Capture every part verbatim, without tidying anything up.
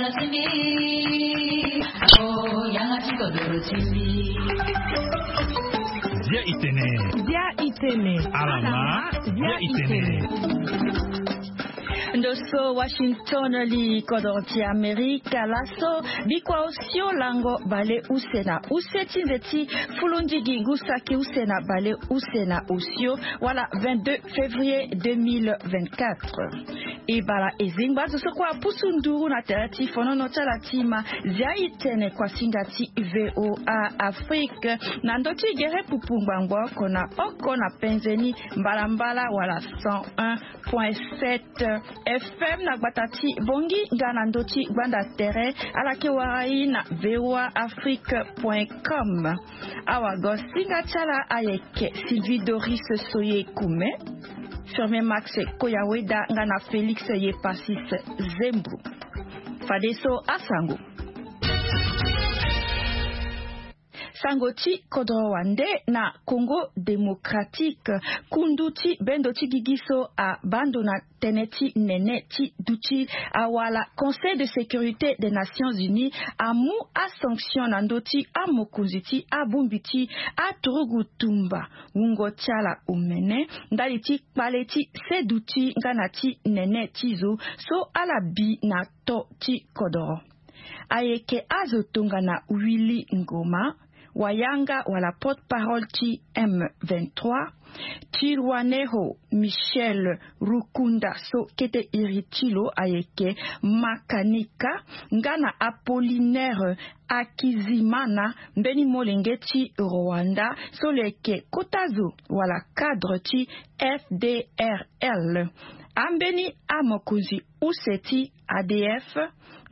Dia itene. Dia itene. Alama. Dia itene. Ndo so Washington, li kodoro ti Amerika. Laso bikua osio lango bale use na use ti nze ti fulundigi ngu saki use na bale use na osio, wala vingt-deux février deux mille vingt-quatre. E bara e zingba zo so kue apusu nduru na tere ti fonono ti ala ti ma. Zia itene kuasinga ti V O A Afrique na ndö ti gere pupu ngbangbo oko na oko na penze ni mbalambala wala cent un point sept F M na gbata ti Bongi nga na ndö ti gbanda tere. Ala ke wara e na V O A Afrique point com. Awagosinga ti ala ayeke Sylvie Doris Soye Kume, Firmin Max Koyaweda nga na Félix Yepasis Zembro. Fadeso asango. Sango ti kodro wande na Congo Démocratique, kundu ti bendo ti gigi so abando na tënë ti nene ti duti awala Conseil de sécurité des Nations Unies amu asanction na ndö ti amokonzi ti abongbi ti aturugu tumba wungo ti ala omene ndali ti kpale ti seduti nga na ti nene ti zo so ala bi na to ti kodoro. Ayeke azo tongana Willy Ngoma, wayanga wala porte-parole ti M vingt-trois, Tirwaneho Michel Rukunda so kete iri ti lo ayeke makanika, nga na Apollinaire Akizimana, mbeni molenge ti Rwanda so lo yeke kota zo wala cadre ti F D R L. Ambeni amokonzi use ti A D F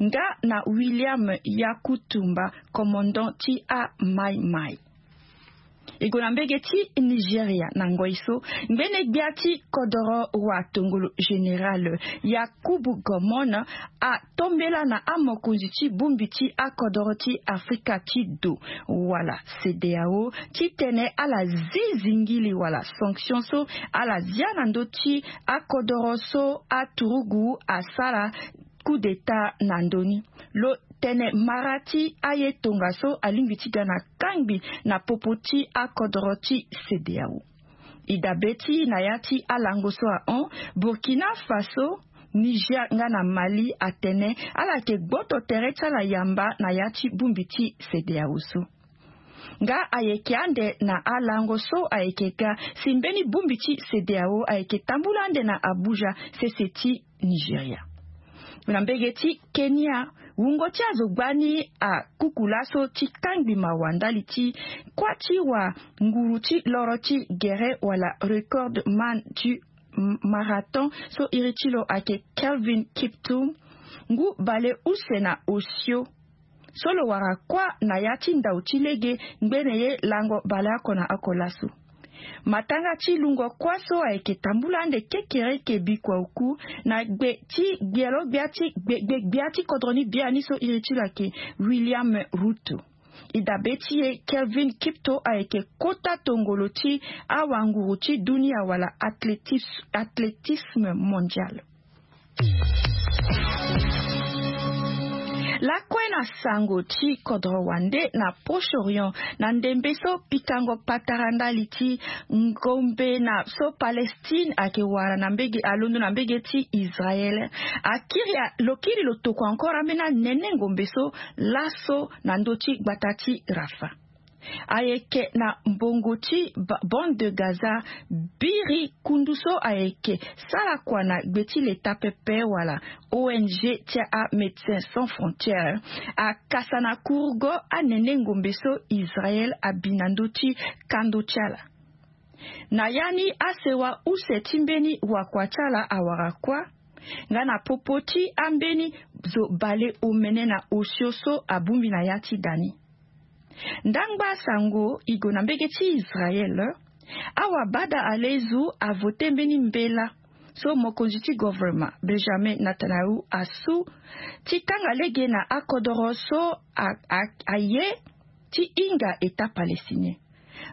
nga na William Yakutumba, commandant ti a Mai Mai. E gue na mbege ti Nigeria na ngoi so ngbene gbia ti kodoro watongolo général Yakubu Gomon atombela na amokonzi ti bongbi ti akodoro ti Afrika ti do wala CEDEAO titene ala zi zingili wala sanction so ala zia na ndö ti akodoro so aturugu asara coup d'état na ndö ni. Lo tene mara ti aye tongaso alingbi ti ga na kangbi na popo ti akodoro ti CEDEAO. E dabe ti na ya ti alango so ahon, Burkina Faso, Niger nga na Mali atene ala yeke gboto tere ti ala yamba na ya ti bongbi ti CEDEAO so. Nga ayeke ande na alango so ayeke ga si mbeni bongbi ti CEDEAO ayeke tambula ande na Abuja, sese ti Nigeria. Na mbege ti Kenya, wungo ti azo gbani akuku laso ti kangbi mawa ndali ti kuâ ti wanguru ti loro ti gere wala record man ti marathon so iri ti lo ayeke Kelvin Kiptum, ngu bale use na osio so lo wara kuâ na ya ti ndau ti lege ngbene ye lango baleoko na oko laso. Matanga ti lungo kuâ so ayeke tambula ande kekereke bikua oku na gbe ti gbelo gbia ti gbe gbia ti kodro ni biani so iri ti lo ayeke William Ruto. E dabe ti e Kelvin Kipto ayeke kota tongolo ti awanguru ti dunia wala athlétisme mondial. Lakue na sango ti kodro wande na Proche-Orient, na ndembe so pikango patara ndali ti ngombe na so Palestine ayeke wara na mbege alondo na mbege ti Israel. Akiri lo kiri lo tokua encore ambeni anene ngombe so laso na ndö ti gbata ti Rafah. Ayeke na mbongo ti bande de Gaza biri kundu so ayeke sara kua na gbe ti leta pepe wala O N G ti a Médecins Sans Frontières akasa na kurugo anene ngombe so Israel abi na ndö ti kando ti ala. Na ya ni asewa use ti mbeni wakua ti ala awara kuâ nga na popo ti ambeni zo bale omene na osio so abongbi na ya ti da ni. Ndangba sango e gue na mbege ti Israel. Awabada alezu avote mbeni mbela so mokonzi ti governement Benjamin Netanyahu asu ti kanga lege na akodoro so aye ti hinga État palestinien.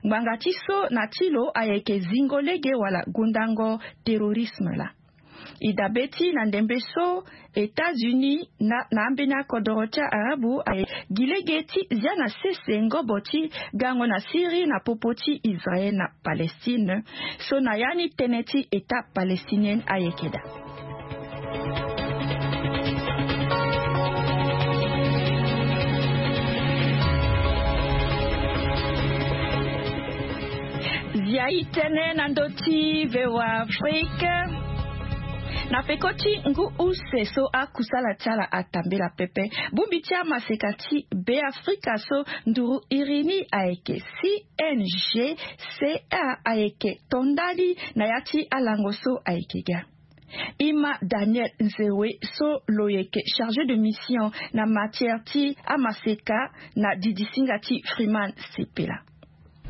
Ngbanga ti so na ti lo ayeke zingo lege wala gondango terrorisme laa. E dabe ti na ndembe so États-Unis na na ambeni akodoro ti arabu aye gi lege ti zia na sese ngobo ti gango na Syrie na popo ti Israël na Palestine. So na ya ni tënë ti État palestinien ayeke daa. Zia i tënë na ndö ti VOA Afrique. Na peko ti ngu use so akusala ti ala atambela pepe, bongbi ti amaseka ti Beafrika so nduru iri ni ayeke C N G C A ayeke to ndali na ya ti alango so ayeke ga. Ima Daniel Nzewe so lo yeke chargé de mission na matière ti amaseka na didisinga ti Freeman Sipila.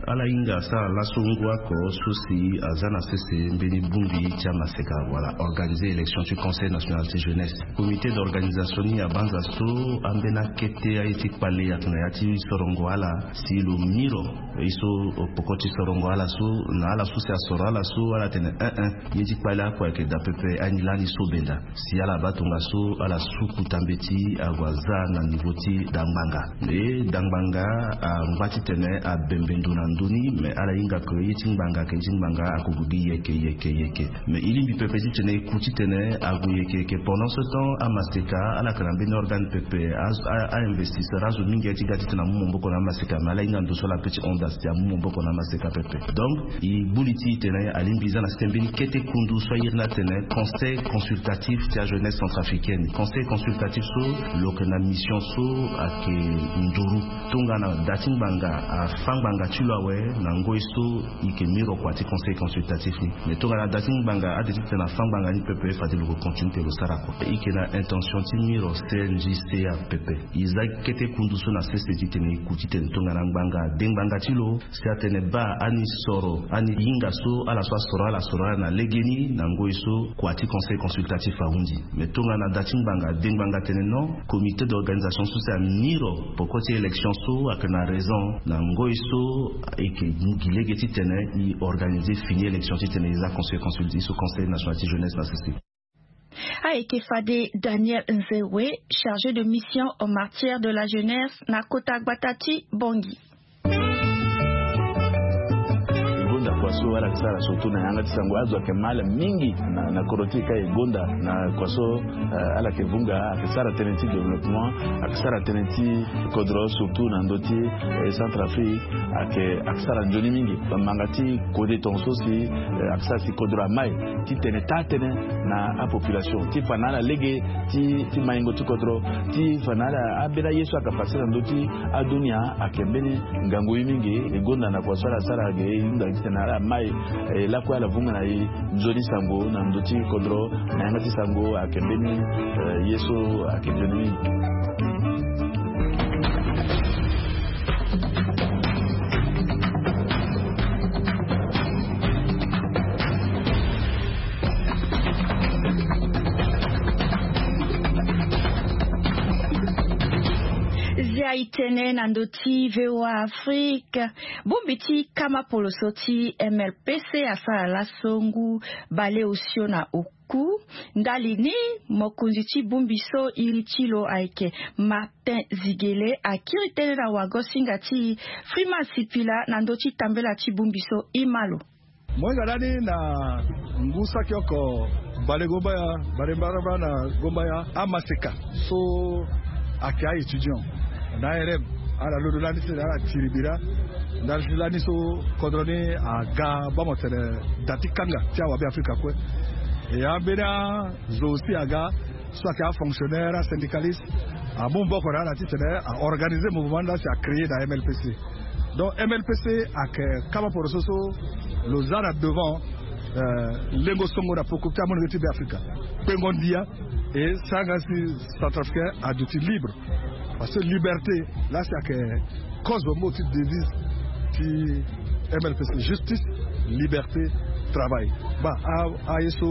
Ala hinga asara laso ngu oko so si aza na sese mbeni bongbi ti amaseka wala organiser élection ti Conseil national ti jeunesse. Comité d'organisation ni abanza so ambeni akete aye ti kpale ayeke na ya ti sorongo ala si lo miro. Ye so poko ti sorongo ala so na ala so si asoro ala so ala tene un un. Ye ti kpale oko ayeke daa pepe ani lani so benda. Si ala baa tongaso ala suku tambe ti ague aza na niveau ti dangbanga. E dangbanga angba titene abembe ndo na ndö ni, me ala hinga ke ye ti ngbanga ayeke ye ti ngbanga akogue gi yeke yeke yeke. Me e lingbi pepe titene e ku titene ague yeke yeke. Pendant ce temps amaseka ala yeke na mbeni organe pepe. A- a- a investisseur azo mingi aye ti ga titene amu maboko na amaseka, me ala hinga ndo so ala pe ti hon da si amu maboko na amaseka pepe. Donc e gbu li ti e tene alingbi e za na site mbeni kete kundu so airi ni atene Conseil consultatif ti ajeunesse centrafricaine. Conseil consultatif so lo yeke na mission so ayeke nduru. Tongana da ti ngbanga afa ngbanga ti lo awe, na ngoi so e yeke miro kua ti Conseil consultatif ni. Me tongana da ti ngbanga ade titene afa ngbanga ni pepe, fade lo yeke continue titene lo sara kua. E yeke na intention ti miro C N G C A pepe. E za kete kundu so na sese titene e ku titene tongana ngbanga ade ngbanga ti lo si atene baa ani soro, ani hinga so ala so asoro ala soro ala na legeni na ngoi so kua ti Conseil consultatif ahunzi. Me tongana da ti ngbanga ade ngbanga atene non, comité d'organisation so si amiro poko ti élection so ayeke na raison na ngoi so e yeke gi lege titene e organiser fini élection titene e za Conseil consultatif so Conseil national ti jeunesse na sese. Ayeke fade Daniel Nzewe, chargé de mission en matière de la jeunesse na kota gbata ti Bangui. E gonda kua so ala yeke sara surtout na yanga ti sango, azo ayeke mal mingi na, na kodro ti e ka e gonda na kua so, eh, ala yeke vunga, ayeke sara tënë ti développement, ayeke sara tënë ti kodro surtout na ndö ti, eh, Centrafrique, ayeke, ayeke sara nzoni mingi. Bamanga ti kode tongaso si, eh, ayeke sara si kodro amai titene taa tënë na apopulation ti fa na ala lege ti, ti maingo ti kodro, ti fa na ala ambeni aye so ayeke pase na ndö ti adunia ayeke mbeni ngangu ye mingi. E gonda na kua so ala sara ge e hunda titene ala mai, eh, lakue ala vunga na e nzoni sango na ndö ti kodro na yanga ti sango ayeke mbeni, eh, ye so ayeke nzoni mingi. Zia e tene na ndö ti VOA Afrique. Bongbi ti kama poloso ti M L P C asara laso ngu baleosio na oku. Ndali ni, mokonzi ti bongbi so iri ti lo ayeke Martin Zigele akiri tënë na wagosinga ti Freeman Sipila na ndö ti tambela ti bongbi so. Ima lo. Mo hinga lani na ngu saki oko bale gombaya, bale mbarambara na gombaya, amaseka so ayeke a-étudiant na A R M, ala londo lani si ala tiri bira ndali ti lani so kodro ni aga bamo tene da ti kanga ti awabe Afrika kue. E ambeni azo aussi aga so ayeke afonctionnaire, asyndicaliste, amu maboko na ala titene a organiser mouvement ni laa si a créer na M L P C. Donc M L P C ayeke kama poroso so lo za na devant, euh, lengo songo na peko ti amolenge ti Beafrika, kpengo ndia, e sara nga si Centrafricain aduti libre. Parce que liberté laa si ayeke cause mo ti devise ti M L P C, justice, liberté, travail. Baa, a, aye so,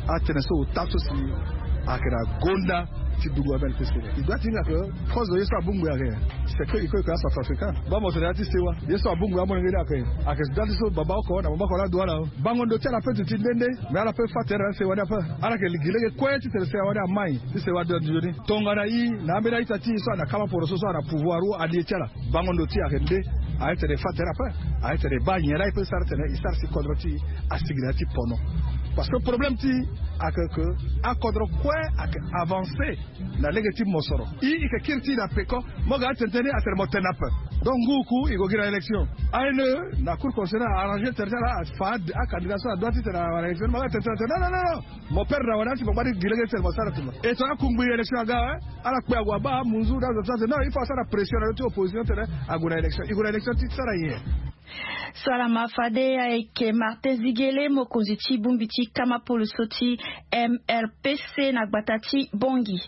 atënë so ota so si ayeke na gonda Ti dungo ambeni pese. E doit ti hinga ke cause ye so abongbi ayeke, c'est que e ko e ke acentrafricain. Baa mo tene ya ti sewa ye so abongbi amolenge ni ayeke, ayeke doit ti so baba oko na mama oko laa dua laa. Bango ndo ti ala pe duti nde nde. Mais ala pe fâ tere na sewa ni ape. Ala yeke gi lege kue titene sewa ni amai ti sewa ndo nzoni. Tongana e na ambeni a-ita ti e so ana kama poroso so ana pouvoir ou alie ti ala. Bango ndo ti e ayeke nde. Aye tene e fâ tere ape. Aye tene e baa nyen laa e pe sara tene e sara si kodro ti e asigi na ya ti pono. Parce que problème ti e ayeke ke akodro kue ayeke avancer na lege ti mosoro. E e yeke kiri ti e na peko. Mo ga atene tënë ni atene mo tene ape. Donc ngu ku e gue gi na élection. Aye le na cour constitutionnelle a arranger tere ti ala afa acandidat so adoit titene awara élection. Mo ga atene tënë atene non non non non. Mo perdre na wala ti mo gbani gi lege ti tene mo sara tene. E tongana akungbi élection aga, ala kpe ague abaa amunzu na azo ti ala tene non, il faut asara pression na lo ti opposition tene ague na élection. E gue na élection ti sara nyen? So ala ma fade ayeke Martin Zigele, mokonzi ti bongbi ti kama poloso ti M R P C na gbata ti Bangui.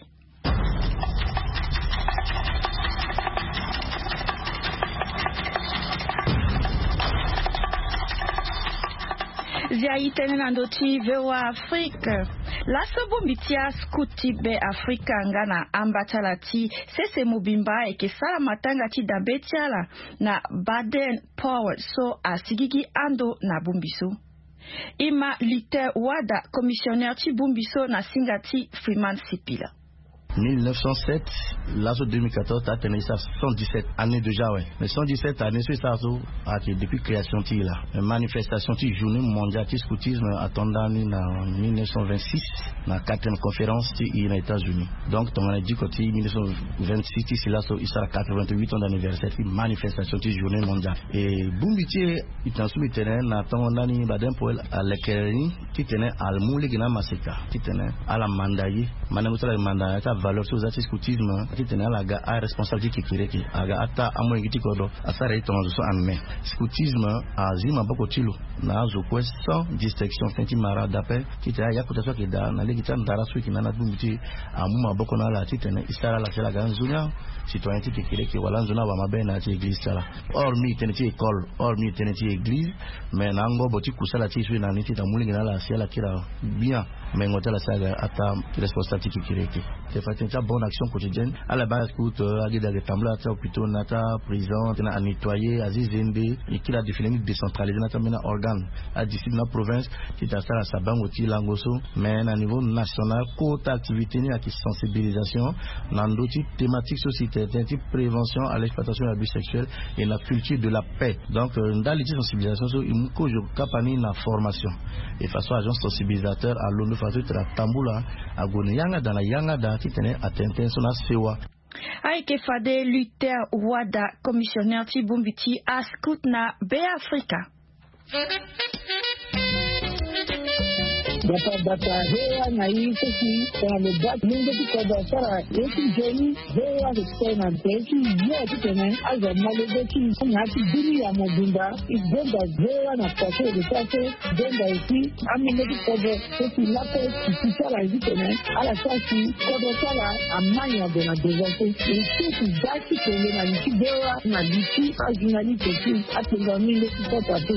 Zia e tënë na ndö ti V O A Afrique. Laso bongbi ti ascout ti Be Afrika nga na amba ti ala ti sese mobimba ayeke sara matanga ti dabe ti ala na Baden Powell so asigigi ando na bongbi so. E ma Luther Wada, commissionnaire ti bongbi so na singa ti Freeman Sipila. Mille neuf cent sept, laso deux mille quatorze, ta tene e sara cent dix-sept années déjà, ouais. Mais cent dix-sept années so e sara so ayeke depuis création ti e laa. Mais manifestation ti journée mondiale ti scoutisme ato ndani na mille neuf cent vingt-six, na quatrième conférence ti e na États-Unis. Donc tongana e diko ti mille neuf cent vingt-six ti si laso e sara quatre-vingt-huit ans d'anniversaire ti manifestation ti journée mondiale. E bongbi ti e, e tene so mbi tene na tongo ndani Baden Powell alekere ni titene amu lege na amaseka titene ala manda ye. Mandango ti ala manda ya ti avaleur so e za ti scoutisme titene ala ga aresponsable ti kekereke, aga ata amolenge ti kodro asara ye tongaso so en main. Scoutisme azi maboko ti lo na azo kue sans distinction, fin ti mara dape titene aya kota so ayeke daa na lege ti andara so e yeke na ni na bongbi ti e, amu maboko na ala titene e sara ala si ala ga nzoni acitoyen ti kekereke wala nzoni awamabe na ya ti église ti ala. Hors mbi tene ti école, hors mbi tene ti église, mais na angobo ti kusala ti e so e na ni titene amu lege na ala si ala kiri gbia mengo ti ala si aga ata ti responsable ti kekereke. Te fa tene ti abonne action quotidienne, ala baa scout, euh, agede ayeke tambula ti ahôpital na ti aprison, tena anettoyer, azi zembe, e kiri adefini ni décentralisé na ti ambeni aorgane, adistrict na province, titene asara sabango ti lango so. Mais na niveau national, kota activité ni ayeke sensibilisation na ndö ti thématique so si tene tënë ti prévention à l'exploitation et abus sexuel et na culture de la paix. Donc, euh, ndali ti sensibilisation so e mu kozo kapa ni na formation. E façon agent sensibilisateur alondo façon titene atambula ague na yanga daa na yanga daa titene atene tënë so na asewa. Ayeke fade Luther Wada, commissionnaire ti bongbi ti ascout na Be Afrika. Bata bata hewa na i seki tongana lo baa ti mungo ti kodro asara ye ti nzoni. Hewa ayeke tene na nze ti yo titene azo amolenge ti na ya ti bini ya mobimba. E gonda hewa na kua so e yeke sara so. Gonda aussi amolenge ti kodro so si lape ti ti ti ala ye titene ala sara si kodro ti ala amai ade na devant so. E so ti da ti kenge na li ti hewa na li ti ajournaliste ti apengo amolenge ti kota so.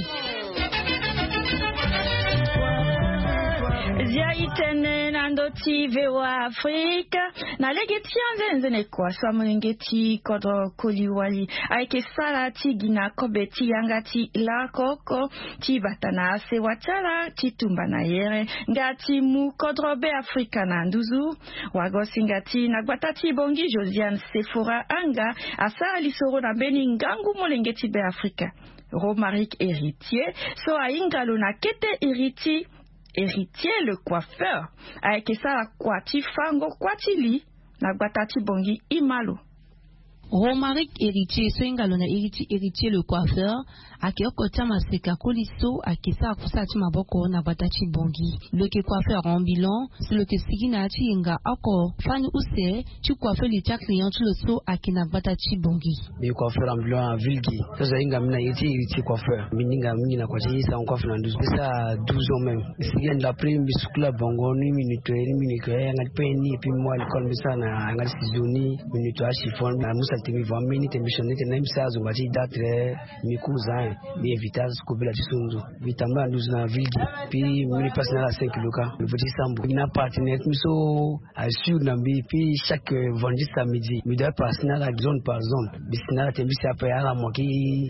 Zia e tene na ndö ti V O A Afrika. Na lege ti anzene nzene kua so amolenge ti kodro koli wali ayeke sara ti gi na kobe ti yanga ti lakoko ti bata na asewa ti ala ti tumba na yere nga ti mu kodro Be Afrika na nduzu. Wagosinga ti na gbata ti Bangui, Josiane Sefora Anga asara lisoro na mbeni ngangu molenge ti Be Afrika. Romaric Héritier so ahinga lo na kete iri ti Héritier le coiffeur ayeke sara kua ti fango kua ti li na gbata ti Bangui. E ma lo. Romaric Héritier so ahinga lo na iri ti Héritier le coiffeur ayeke oko ti amaseka koli so ayeke sara kusala ti maboko na gbata ti Bangui. Lo yeke coiffeur ambulant. Si lo yeke sigi na ya ti yenga oko fani use ti coiffeur li ti aclient ti lo so ayeke na gbata ti Bangui. Mbi coiffeur ambulant na ville gi. So azo ahinga mbi na iri ti iri ti coiffeur. Mbi hinga mingi na kua ti sango coiffe na nduzu. Mbi sara douze ans même. Mbi sigi ande après mbi sukula bongo ni mbi nettoyer ni mbi nettoyer yanga ti pain ni et puis mo à l'école mbi sara na yanga ti ciseau ni mbi nettoyer achiffon na musa Tene mbi voa mbeni tene mbi soni tene mbi sara zongba ti da tere. Mbi ku za en, mbi invite ala so kobela ti so ndo. Mbi tambula na nduzu na ville gi. Puis mbi ni place na ala cinq kilo kâ. Mbi vo ti sambu mbi na partenaire ti mbi so assure na mbi. Puis chaque vendredi samedi mbi doit passer na ala zone par zone. Mbi si na ala tene mbi si ape ala mo ki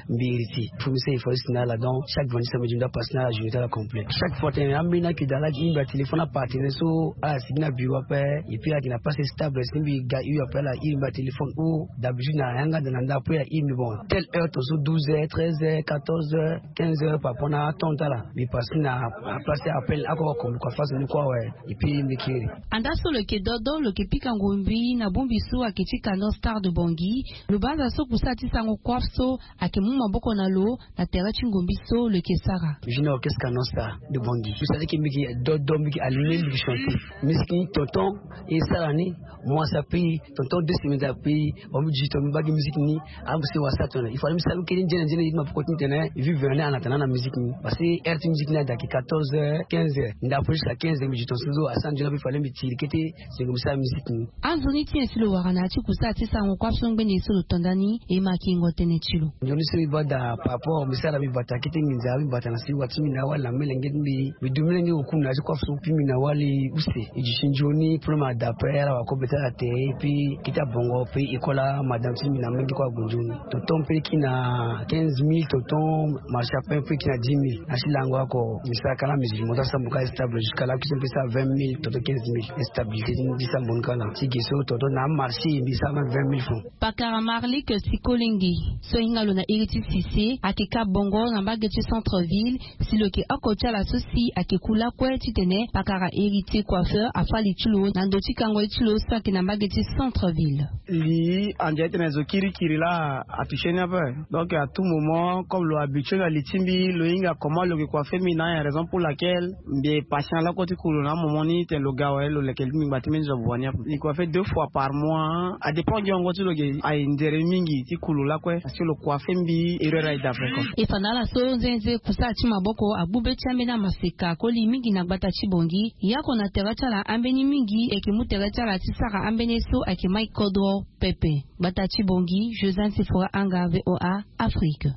mbi héritier. Faut mbi sara effort ti si na ala. Donc chaque vendredi samedi mbi doit passer na ala journée ti ala complet. Chaque fois tene ambeni ayeke daa ala gi mbi atéléphone apartenaire so ala si gi na bureau ape. Et puis ala yeke na place stable si mbi ga iri ape ala iri mbi atéléphone. O d'habitude na yanga daa na nda ape ala iri mbi bon telle heure tongaso douze heures, treize heures, quatorze heures, quinze heures par rapport na atemps ti ala. Mbi passer na aplace ti appel ako ako mbi kua façon ni kue awe. Et puis mbi kiri. Andaa so lo yeke dodo lo yeke pika ngombi na bongbi so ayeke ti Kano Star de Bangui. Lo baa aza so kusala ti sarango kuâ so ayeke mu maboko na lo na tere ti ngombi so lo yeke sara. Junior orchestre Kano Star de Bangui. Mbi sara ti ke mbi yeke dodo mbi yeke allume mbi yeke chanter. Musique ni tonton e sara ni. Mois ape tonton deux semaines ape. Bon mbi di tonton mbi baa gi musique ni. Amu si wasa tongana il fallait mbi sara kiri nzene nzene ye ti maboko ti mbi tene vivre ni en attendant na musique ni. Parce que heure ti musique ni ada yeke quatorze heures, quinze heures. Nda ape jusqu'à quinze heures mbi di tongaso so asara nzoni ape il fallait mbi tiri kete. Sengo mbi sara musique ni. Anzoni ti nyen si lo wara na ya ti kusala ti sarango kuâ so ngbene so lo to nda ni e ma yeke yengo tënë ti lo. Nzoni so mbi baa daa par rapport mbi sara mbi bata kete nginza mbi bata na si wa ti mbi na awali na molenge ti mbi. Mbi du molenge oku na ya ti kuâ so puis mbi na awali use. E duti nzoni problème ada ape ala wara kobe ti ala tere. Puis kete abongo puis e kola madame ti mbi na molenge kue ague nzoni. Tonton mpe e kiri na quinze mille tonton. Marché ape mpe e kiri na dix mille na ti lango oko. Mbi sara kâ na musique mo ti asambu kâ stable jusqu'à la cuisine mpe e sara vingt mille tonton quinze mille. Stabilité ti mbi ti sambu ni kâ na ti ge so tonton na amarché mbi sara même vingt mille francs. Pakara Marlik Sikolenge so ahinga lo na iri ti Sise ayeke kâ bongo na mbage ti centre ville. Si lo yeke oko ti ala so si ayeke ku lakue titene pakara Héritier Coiffeur afâ li ti lo na ndo ti kango ye ti lo so ayeke na mbage ti centre ville. Li ande titene zo kirikiri laa atouché ni ape. Donc à tout moment comme lo habitué na li ti mbi lo hinga comment lo yeke coiffé mbi na ayen raison pour laquelle mbi e patient lakue ti ku lo na amoment ni titene lo ga awe lo leke li ti mbi ngba ti mbeni zo abua ni ape. Mbi coiffé deux fois par mois. Adépend gi hongo ti lo ge aye nzere mingi ti ku lo lakue. Parce que lo coiffé mbi erreur aye daa fréquent. E fa na ala so nzenze kusala ti maboko agbu be ti ambeni amaseka koli mingi na gbata ti Bangui. Yako na tere ti ala ambeni mingi e yeke mu tere ti ala ti sara ambeni ye so ayeke mai kodro pepe. Gbata ti Bangui, Josane Sefora Anga, VOA Afrique.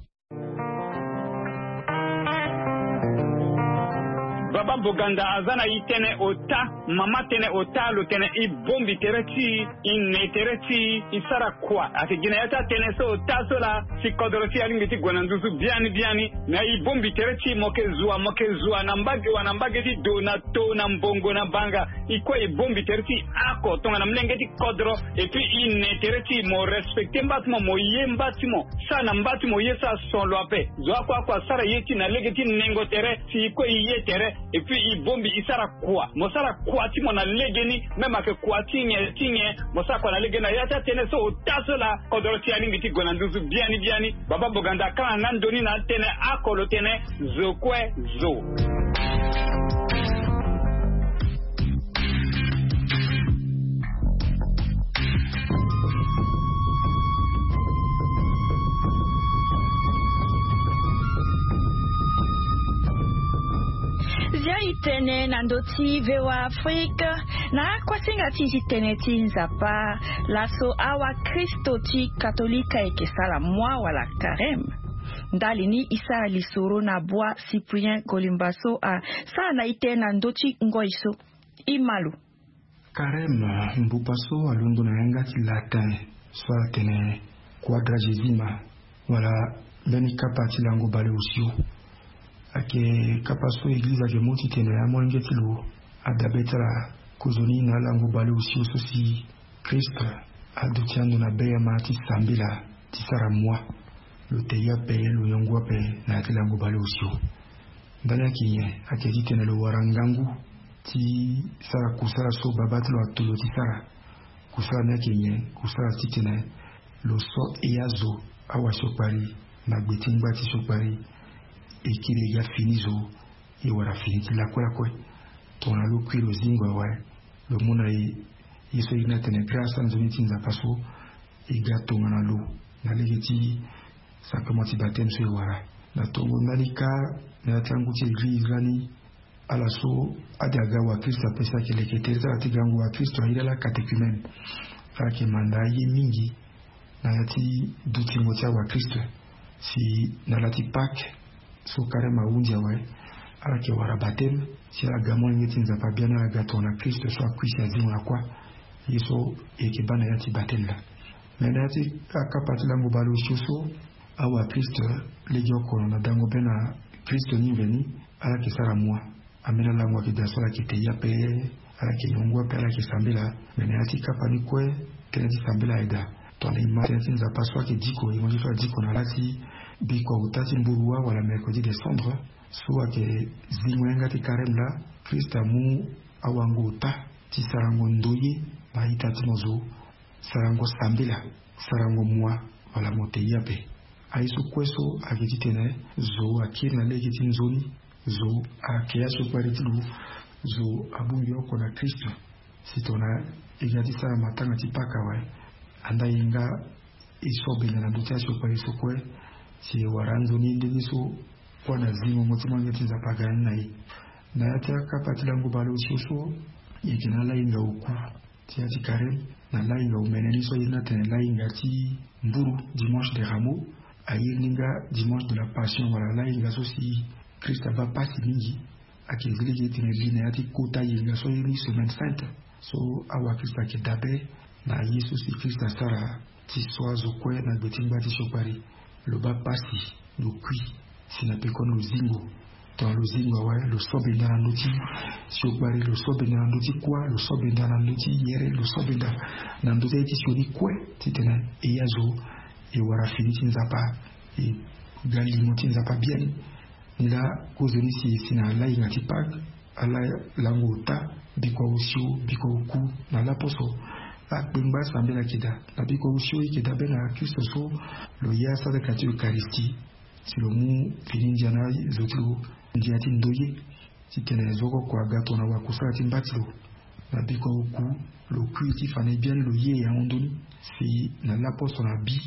Baba Boganda aza na e tënë ota. Mama tënë ota lo tene e bongbi tere ti e, e ne tere ti e, e sara kua. Ayeke gi na ya ti atënë so ota so laa si kodro ti e alingbi ti gue na nduzu biani biani. Na e bongbi tere ti e mo yeke zua mo yeke zua na mbage wa na mbage ti do na to na mbongo na banga. E kue e bongbi tere ti e oko tongana molenge ti kodro. Et puis e ne tere ti e mo respecté mba ti mo mo ye mba ti mo. Sara na mba ti mo ye so ason lo ape. Zo oko oko asara ye ti e na lege ti nengo tere si e kue e ye tere. Et puis e bongbi e sara kua mo sara kua ti mo na legeni. Même ayeke kua ti nyen ti nyen mo sara kua na legeni na ya ti atënë so ota so laa kodro ti e alingbi ti gue na nduzu biani biani. Baba Boganda akanga nga ndo ni na atënë oko lo tene zo kue zo. Zia e tene na ndö ti VOA Afrique. Na akuasinga ti e ti tene ti Nzapa, laso awakristo ti katolika e yeke sara mua wala kareme. Ndali ni e sara lisoro na bua Cyprien Golimba so asara na e tene na ndö ti ngoi so. E ma lo. Kareme mbupa so alondo na yanga ti latin so atene quadragesima wala mbeni kapa ti lango baleosio. Ayeke kapa so eglize ayeke mu titene amolenge ti lo adabe ti ala kozoni na alango baleosio so si Christ aduti ando na beyama ti sambela ti sara mua. Lo te ye ape lo yongu ape na ya ti lango baleosio. Ndani ayeke nyen? Ayeke titene lo wara ngangu ti sara kusala so babâ ti lo ato lo ti sara. Kusala ni ayeke nyen? Kusala titene lo so e azo awasiokpari na gbe ti ngba ti siokpari. E kiri e ga fini zo e wara fini ti lakue lakue. Tongana lo kui lo zingo awe lo mu na e ye so e na tene grâce anzoni ti Nzapa so e ga tongana lo na lege ti sacrement ti baptême so e wara. Na tongo ndali kâ na ya ti angu ti eglize lani ala so ade aga wakristo ape si ayeke leke tere ti ala ti gango wakristo airi ala catéchumène. Ala yeke manda aye mingi na ya ti dutingo ti awakristo. Si na la ti Pâques so karême ahunzi awe, ala yeke wara batême si ala ga molenge ti Nzapa biani, ala ga tongana Kristo so akui si azingo na kuâ. Ye so e yeke baa na ya ti batême laa. Me na ya ti akapa ti lango baleosio so, awakristo legeoko na dango be na Kristo ni mveni, ala yeke sara mua. Ambeni alango ayeke daa so ala yeke te ye ape, ala yeke yongu ape, ala yeke sambela. Me na ya ti kapa ni kue, tënë ti sambela ayeke daa. Tongana e ma tënë ti Nzapa so ayeke diko, e mo ye so adiko na la ti bikua ota ti mburu wâ wala mercredi des cendres, so ayeke zingo yanga ti karême laa, Kristo amu awango ota ti sarango ndoye na a-ita ti mo zo, sarango sambela, sarango mua, wala mo te ye ape. Aye so kue so ayeke titene zo akiri na lege ti nzoni, zo ayeke ya siokpari ti lo, zo abongbi oko na Kristo. Si tongana e ga ti sara matanga ti Pâques awe, andaa e nga e so benda na ndö ti asiokpari so kue, si e wara anzoni ndenge so kuâ na zingongo ti molenge ti Nzapa aga ni na e. Na ya ti akapa ti lango baleosio so, e yeke na alahinga oku ti ya ti karême, na lahinga omene ni so aye ni atene lahinga ti mburu, dimanche de Rameaux, aye ni nga dimanche de la Passion wala lahinga so si Kristo abaa pasi mingi. Ayeke zi lege ti tene li na ya ti kota yenga so aye ni semaine sainte, so awakristo ayeke dabe na ye so si Kristo asara ti so azo kue na gbe ti ngbâ ti siokpari. Lo baa pasi, lo kui, si na pekoni lo zingo. Tongana lo zingo awe, lo so benda na ndö ti siokpari, lo so benda na ndö ti kuâ, lo so benda na ndö ti yere, lo so benda na ndö ti aye ti sioni kue, titene e ya zo, e wara fini ti Nzapa, e ga limo ti Nzapa biani. Ni laa kozoni si e si na lahinga ti Pâques, ala lango ota, bikua osio, bikua oku, na laposo akpengba asambela ayeke daa. Na bikua osio e yeke daa be na Kristo so lo ya sadaka ti Eucharistie, si lo mu fini ndia na azo ti lo, ndia ti ndoye, titene zo oko oko aga tongana wakusala ti mba ti lo. Na bikua oku, lo kui ti fa na e biani, lo ye e ahundu ni. Si na laposo na bi,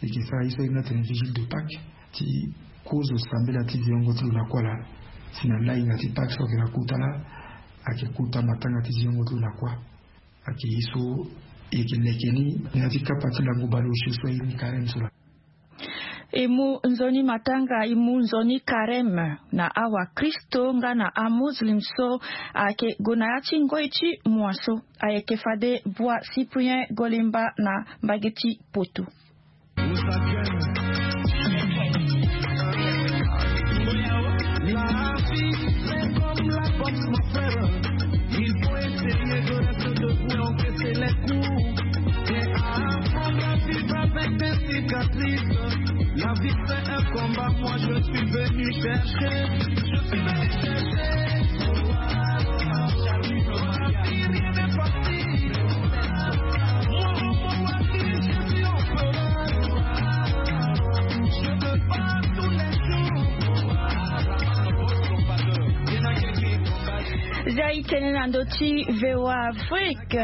e yeke sara ye so aye ni atene vigile de Pâques, ti kozo sambela ti ziongo ti lo na kuâ laa. Si na lahinga ti Pâques so ayeke na kota laa, ayeke kota matanga ti ziongo ti lo na kuâ. Ayeke ye so e yeke leke ni na ya ti kapa ti lango baleosio so aye ni karême so laa. E mu nzoni matanga, e mu nzoni karême na awakristo nga na amuslim so ayeke gue na ya ti ngoi ti mua so. Ayeke fade Bua Cyprien Golemba na mbage ti Poto. La vie, c'est comme la boxe, mon frère. Il faut essayer de rester debout et encaisser les coups. Et apprendre à vivre avec des cicatrices. La vie, c'est un combat. Moi, je suis venu chercher. Je suis venu chercher. Rien n'est facile. Za i tene na ndö ti VOA Afrique.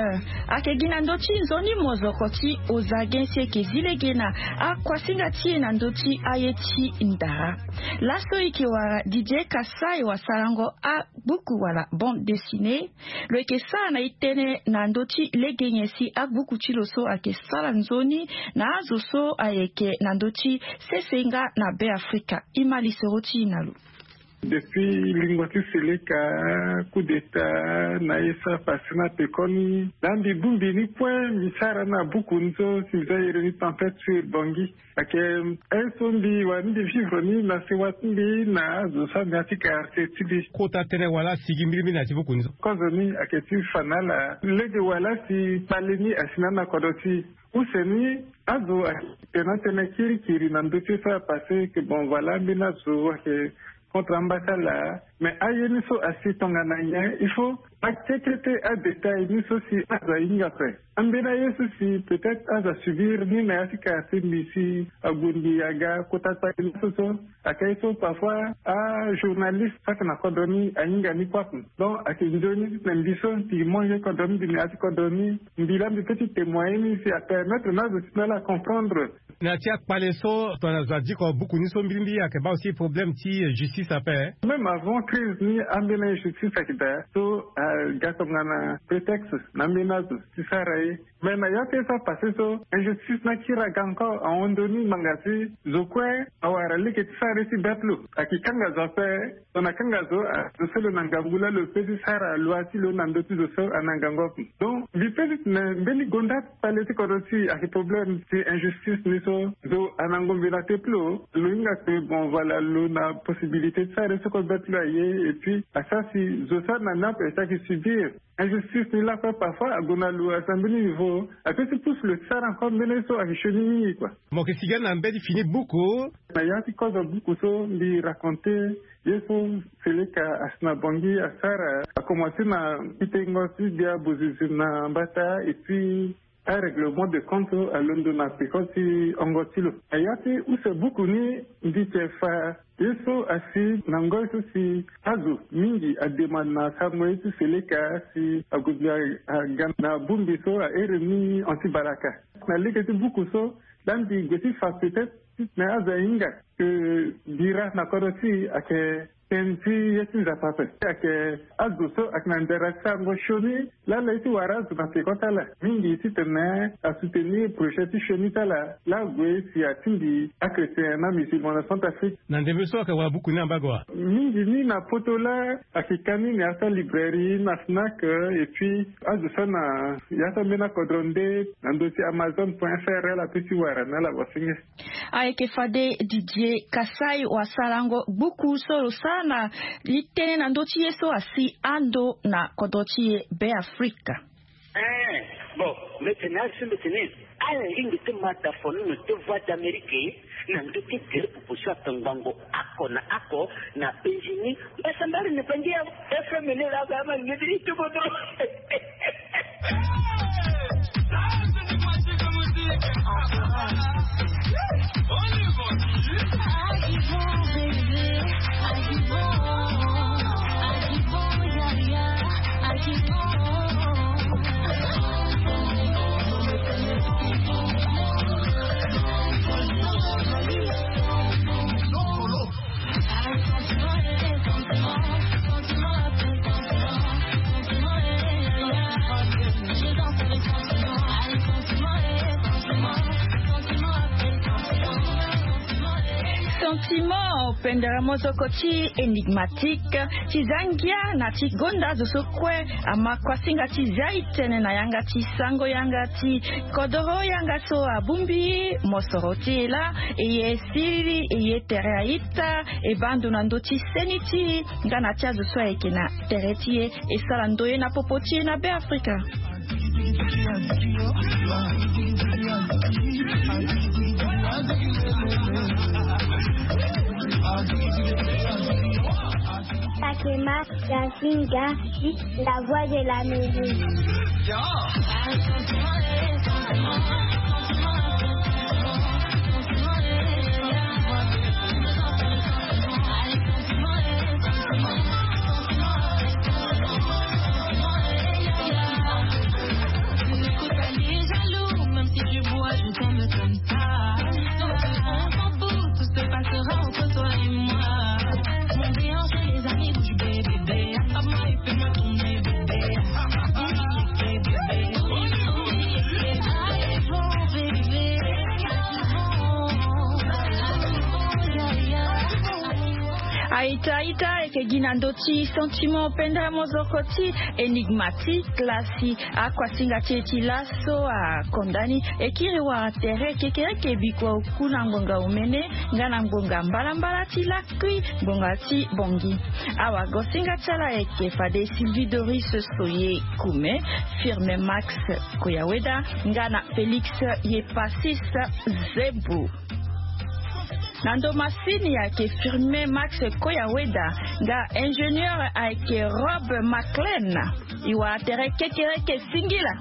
Ayeke gi na ndö ti nzoni mozoko ti ozage si eke zi lege na akuasinga ti e na ndö ti aye ti ndara. Laso e yeke wara Didier Kassai wasarango agbuku wala bande dessinée. Lo yeke sara na e tënë na ndö ti lege nyen si agbuku ti lo so ayeke sara nzoni na azo so ayeke na ndö ti sese nga na Beafrika. E ma lisoro ti e na lo. Depuis lingo ti Seleka, coup d'état na ye so apasse na pekoni, la mbi bongbi ni kue, mbi sara na buku ni so si mbi za iri ni Tempête sur Bangui. Ayeke aye so mbi wara ni mbi vivre ni na sewa ti mbi na azo so ame ya ti quartier ti mbi. Kota tënë wala sigi mbirimbiri na ya ti buku ni so? Kozoni ayeke ti fa na ala lege wala si kpale ni asi na ala na kodro ti e. Use ni azo ayeke na tënë kirikiri na ndö ti ye so apasse, que bon, voilà, ambeni azo ayeke contre amba ti ala. Mais aye ni so asi tongana nyen? Il faut akete ti adétail ni so si azo ahinga ape. Ambeni aye so si peut-être azo asubir ni na ya ti ka ti mbi si ague mbi aga kota kpale ni so so. Ayeke aye so parfois ajournaliste so ayeke na kodro ni ahinga ni kue ape. Donc ayeke nzoni na mbi so mbi molenge kodro ni, mbi na ya ti kodro ni, mbi laa mbi peut ti témoigner ni si apermettre na azo ti mbi ala comprendre. Na ya ti akpale so tongana zo adiko buku ni so mbirimbiri ayeke baa aussi problème ti justice ape. Même avant crise ni ambeni injustice ayeke daa so. aga tongana prétexte na ambeni azo ti sara ye. Mais na ya ti ye so apase so, injustice ni akiri aga encore ahon ndoni ngbanga si zo kue awara lege ti sara ye ti bête lo. Ayeke kanga zo ape. Lo na kanga zo, azo so lo na ngangu laa lo pe ti sara loi ti lo na ndö ti zo so ana ngangu ape. Donc mbi pe ti tene mbeni gonda ti pale ti kodro ti e ayeke problème ti injustice ni so. Zo ana ngombe na te plo. Lo hinga ke bon, voilà, lo na possibilité ti sara ye so kue bête lo aye. Et puis asara si zo so ana ni ape si ayeke subir injustice ni lakue. Parfois ague na lo asi na mbeni niveau, ape ti pousse lo ti sara encore mbeni ye so ayeke sioni mingi kua. Mo yeke si ga na mbeni fini buku. Na ya ti kozo buku so mbi raconter ye so Seleka asi na Bangui asara, akomanse na pitengo ti gbia bozizi na mbata et puis arèglement de compte so alondo na peko ti hongo ti lo. Na ya ti use buku ni mbi yeke fa ye so asi na ngoi so si azo mingi ademande na asango ye ti Seleka si ague gbia aga na bongbi so ahere ni anti-balaka. Na lege ti buku so laa mbi gue ti fa peut-être ti tene azo ahinga ke bira na kodro ti e ayeke tënë ti ye ti Nzapa ape. Ayeke azo so ayeke na ndara ti sarango sioni laa ala ye ti wara azo na peko ti ala mingi ti tene asoutenir projet ti sioni ti ala laa ague si atingbi achrétien na musulman na Centrafrique. Na ndembe so ayeke wara buku ni na mbago wa? Mingi ni na poto laa ayeke ka ni na ya ti alibrairie na Fnac, et puis azo so na ya ti ambeni akodro nde na ndö ti Amazon point F R ala pe ti wara na ala wasenge. Ayeke fade Didier Kassai wasarango gbuku so lo sara na li tënë na ndö ti ye so asi ando na kodro ti e Beafrika. Eh, bon, mbi tene azo so mbi tene ala lingbi ti ma da fono na te Voix d'Amérique na ndö ti tere popo so ape ngbongo oko na oko na penzi ni. Mbasambala ni pangi ya F M ni la ba ma ngediri ti bodo. Sentiment pendere mozoko ti Enigmatique ti za ngia na ti gonda azo so kue ama kuasinga ti zia e tene na yanga ti sango yanga ti kodoro yanga so abongbi mosoro ti e laa e ye siriri e ye tere a-ita e baa ndo na ndö ti seni ti e nga na ti azo so ayeke na tere ti e e sara ndoye na popo ti e na Beafrika. Takema Yasinga, la voix de l'Amérique. Aita aita ayeke gi na ndö ti sentiment pendere mozoko ti Enigmatique laa si akuasinga ti e ti laso akonda ni e kiri wara tere kekereke bikua oku na ngbonga omene nga na ngbonga mbalambala ti lakui ngbonga ti Bangui. Awagosinga ti ala ayeke fade Sylvie Doris Soye Koume, Firmin Max Koyaweda nga na Félix Yepasis Zebou. Na ndo masini ayeke Firmin Max Koyaweda nga ingénieur ayeke Rob Maclean. E wara tere kekereke singila.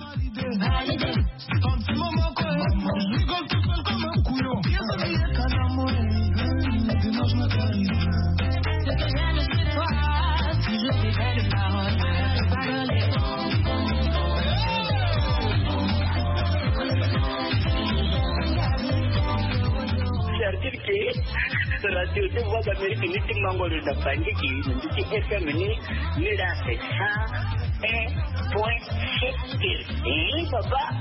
Certitude ke radio ti Voix d'Amérique ni ti mango lo da pandiki ni ti F M ni ni la sa. Point C T. Baba.